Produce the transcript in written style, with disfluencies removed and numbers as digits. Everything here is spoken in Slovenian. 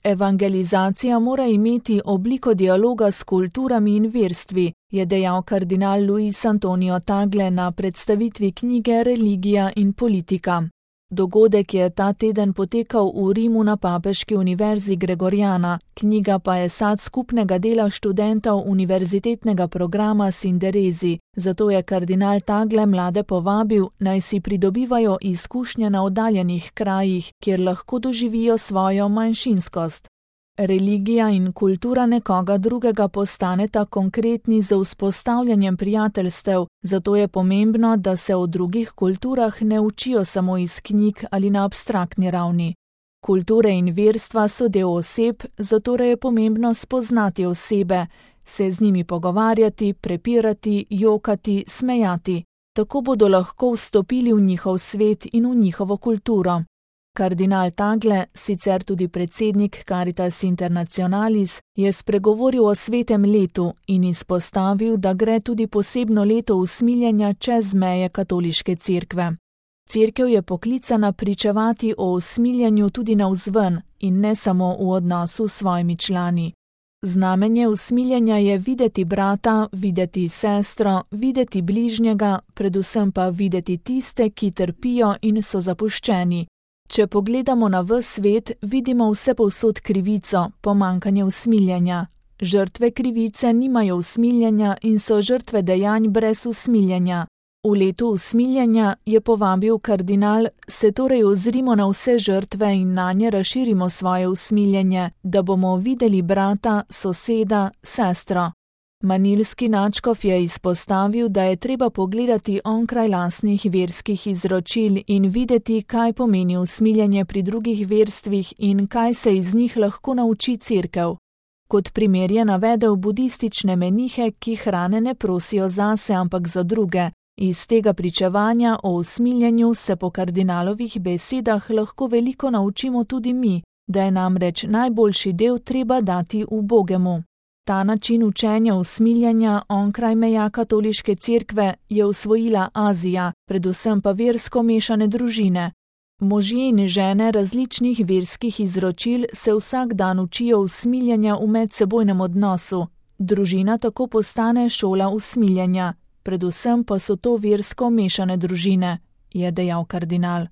Evangelizacija mora imeti obliko dialoga s kulturami in verstvi, je dejal kardinal Luis Antonio Tagle na predstavitvi knjige Religija in politika. Dogodek je ta teden potekal v Rimu na Papeški univerzi Gregoriana, knjiga pa je sad skupnega dela študentov univerzitetnega programa Sinderezi, zato je kardinal Tagle mlade povabil, naj si pridobivajo izkušnje na oddaljenih krajih, kjer lahko doživijo svojo manjšinskost. Religija in kultura nekoga drugega postaneta konkretni z vzpostavljanjem prijateljstev, zato je pomembno, da se o drugih kulturah ne učijo samo iz knjig ali na abstraktni ravni. Kulture in verstva so del oseb, zato je pomembno spoznati osebe, se z njimi pogovarjati, prepirati, jokati, smejati. Tako bodo lahko vstopili v njihov svet in v njihovo kulturo. Kardinal Tagle, sicer tudi predsednik Caritas Internationalis, je spregovoril o svetem letu in izpostavil, da gre tudi posebno leto usmiljenja čez meje katoliške cerkve. Cerkev je poklicana pričevati o usmiljenju tudi navzven in ne samo v odnosu s svojimi člani. Znamenje usmiljenja je videti brata, videti sestro, videti bližnjega, predvsem pa videti tiste, ki trpijo in so zapuščeni. Če pogledamo na ves svet, vidimo vsepovsod krivico, pomanjkanje usmiljenja. Žrtve krivice nimajo usmiljenja in so žrtve dejanj brez usmiljenja. V letu usmiljenja, je povabil kardinal, se torej ozrimo na vse žrtve in nanje razširimo svoje usmiljenje, da bomo videli brata, soseda, sestro. Manilski nadškof je izpostavil, da je treba pogledati onkraj lastnih verskih izročil in videti, kaj pomeni usmiljenje pri drugih verstvih in kaj se iz njih lahko nauči cerkev. Kot primer je navedel budistične menihe, ki hrane ne prosijo zase, ampak za druge. Iz tega pričevanja o usmiljenju se po kardinalovih besedah lahko veliko naučimo tudi mi, da je namreč najboljši del treba dati ubogemu. Ta način učenja usmiljenja onkraj meja katoliške cerkve je usvojila Azija, predvsem pa versko mešane družine. Možje in žene različnih verskih izročil se vsak dan učijo usmiljenja v medsebojnem odnosu. Družina tako postane šola usmiljenja, predvsem pa so to versko mešane družine, je dejal kardinal.